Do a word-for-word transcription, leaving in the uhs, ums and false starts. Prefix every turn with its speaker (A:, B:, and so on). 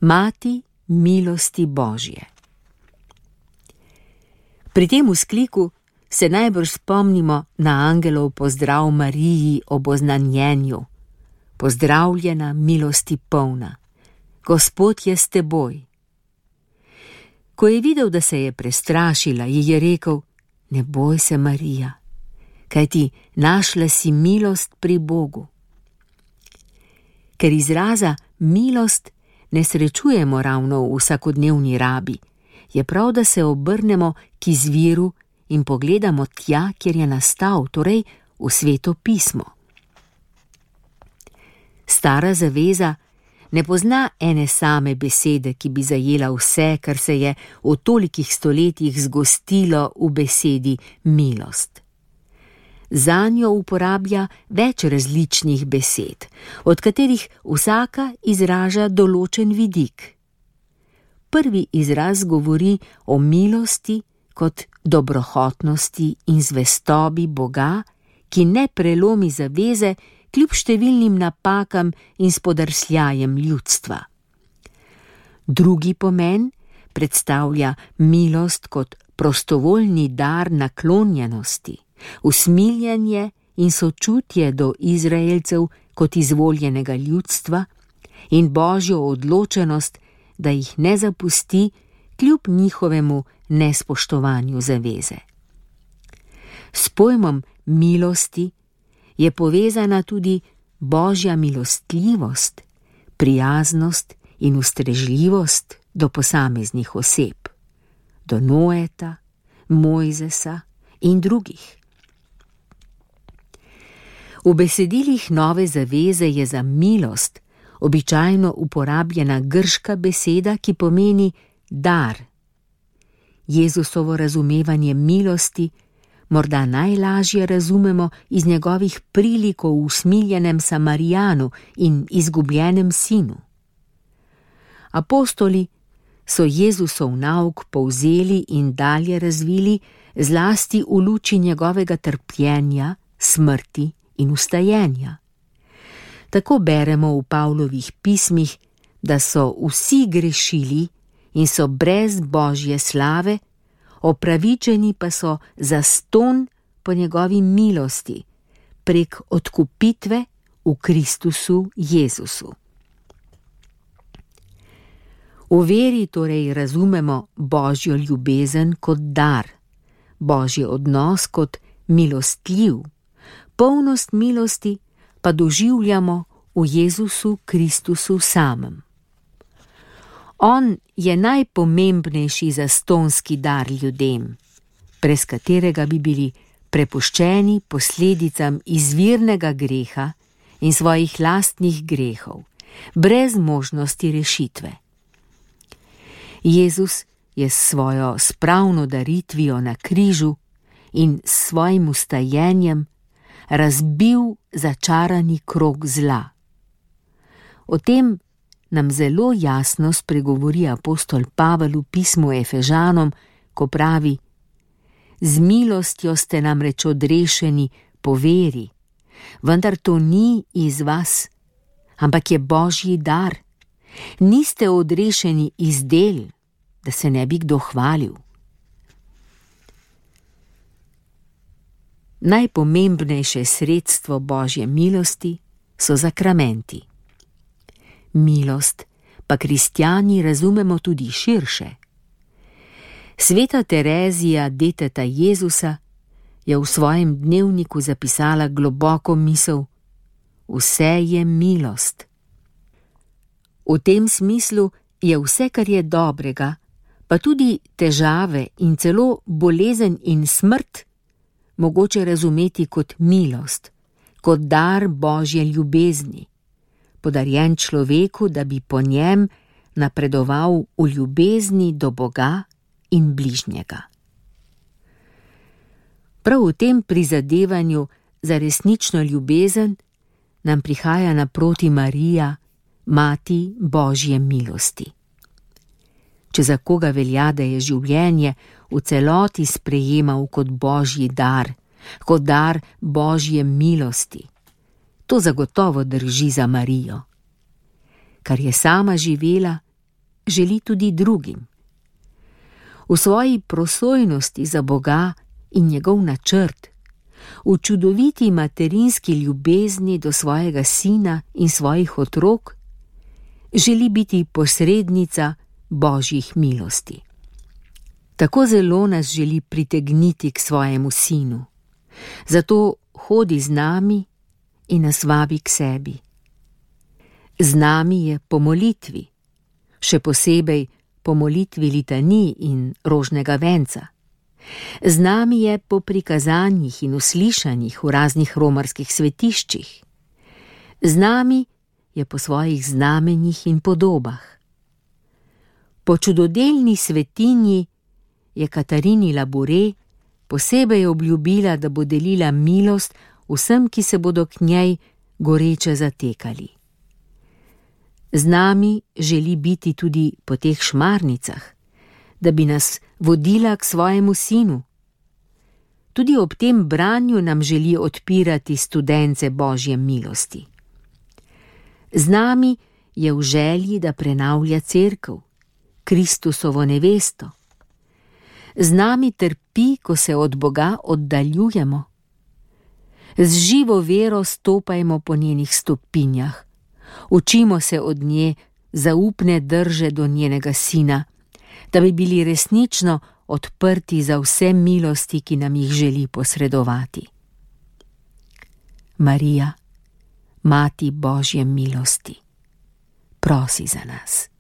A: Mati milosti Božje. Pri tem vzkliku se najbrž spomnimo na angelov pozdrav Mariji ob oznanjenju. Pozdravljena, milosti polna, Gospod je s teboj. Ko je videl, da se je prestrašila, ji je rekel: ne boj se, Marija, kajti našla si milost pri Bogu. Ker izraza milost ne srečujemo ravno v vsakodnevni rabi, je prav, da se obrnemo k izviru in pogledamo tja, kjer je nastal, torej v Sveto pismo. Stara zaveza ne pozna ene same besede, ki bi zajela vse, kar se je v tolikih stoletjih zgostilo v besedi milost. Zanjo uporablja več različnih besed, od katerih vsaka izraža določen vidik. Prvi izraz govori o milosti kot dobrohotnosti in zvestobi Boga, ki ne prelomi zaveze kljub številnim napakam in spodrsljajem ljudstva. Drugi pomen predstavlja milost kot prostovoljni dar naklonjenosti, usmiljenje in sočutje do Izraelcev kot izvoljenega ljudstva in Božjo odločenost, da jih ne zapusti kljub njihovemu nespoštovanju zaveze. S pojmom milosti je povezana tudi Božja milostljivost, prijaznost in ustrežljivost do posameznih oseb, do Noeta, Mojzesa in drugih. V besedilih Nove zaveze je za milost običajno uporabljena grška beseda, ki pomeni dar. Jezusovo razumevanje milosti morda najlažje razumemo iz njegovih prilik o usmiljenem Samarijanu in izgubljenem sinu. Apostoli so Jezusov nauk povzeli in dalje razvili zlasti v luči njegovega trpljenja, smrti in vstajenja. Tako beremo v Pavlovih pismih, da so vsi grešili in so brez Božje slave, opravičeni pa so zastonj po njegovi milosti prek odkupitve v Kristusu Jezusu. V veri torej razumemo Božjo ljubezen kot dar, Božji odnos kot milostljiv, polnost milosti pa doživljamo v Jezusu Kristusu samem. On je najpomembnejši zastonski dar ljudem, brez katerega bi bili prepuščeni posledicam izvirnega greha in svojih lastnih grehov, brez možnosti rešitve. Jezus je s svojo spravno daritvijo na križu in s svojim vstajenjem razbil začarani krog zla. O tem nam zelo jasno spregovori apostol Pavel v pismu Efežanom, ko pravi: z milostjo ste namreč odrešeni po veri, vendar to ni iz vas, ampak je Božji dar. Niste odrešeni iz del, da se ne bi kdo hvalil. Najpomembnejše sredstvo Božje milosti so zakramenti. Milost pa kristjani razumemo tudi širše. Sveta Terezija, deteta Jezusa, je v svojem dnevniku zapisala globoko misel: vse je milost. V tem smislu je vse, kar je dobrega, pa tudi težave in celo bolezen in smrt, mogoče razumeti kot milost, kot dar Božje ljubezni, podarjen človeku, da bi po njem napredoval v ljubezni do Boga in bližnjega. Prav v tem prizadevanju za resnično ljubezen nam prihaja naproti Marija, Mati Božje milosti. Če za koga velja, da je življenje v celoti sprejemal kot Božji dar, kot dar Božje milosti, to zagotovo drži za Marijo. Kar je sama živela, želi tudi drugim. V svoji prosojnosti za Boga in njegov načrt, v čudoviti materinski ljubezni do svojega sina in svojih otrok, želi biti posrednica Božjih milosti. Tako zelo nas želi pritegniti k svojemu sinu, zato hodi z nami in nas vabi k sebi. Z nami je po molitvi, še posebej po molitvi litanij in rožnega venca. Z nami je po prikazanjih in uslišanjih v raznih romarskih svetiščih. Z nami je po svojih znamenjih in podobah. Po čudodelni svetinji je Katarini Labure posebej obljubila, da bo delila milost vsem, ki se bodo k njej goreče zatekali. Z nami želi biti tudi po teh šmarnicah, da bi nas vodila k svojemu sinu. Tudi ob tem branju nam želi odpirati studence Božje milosti. Z nami je v želji, da prenavlja cerkev, Kristusovo nevesto. Z nami trpi, ko se od Boga oddaljujemo. Z živo vero stopajmo po njenih stopinjah, učimo se od nje zaupne drže do njenega sina, da bi bili resnično odprti za vse milosti, ki nam jih želi posredovati. Marija, Mati Božje milosti, prosi za nas.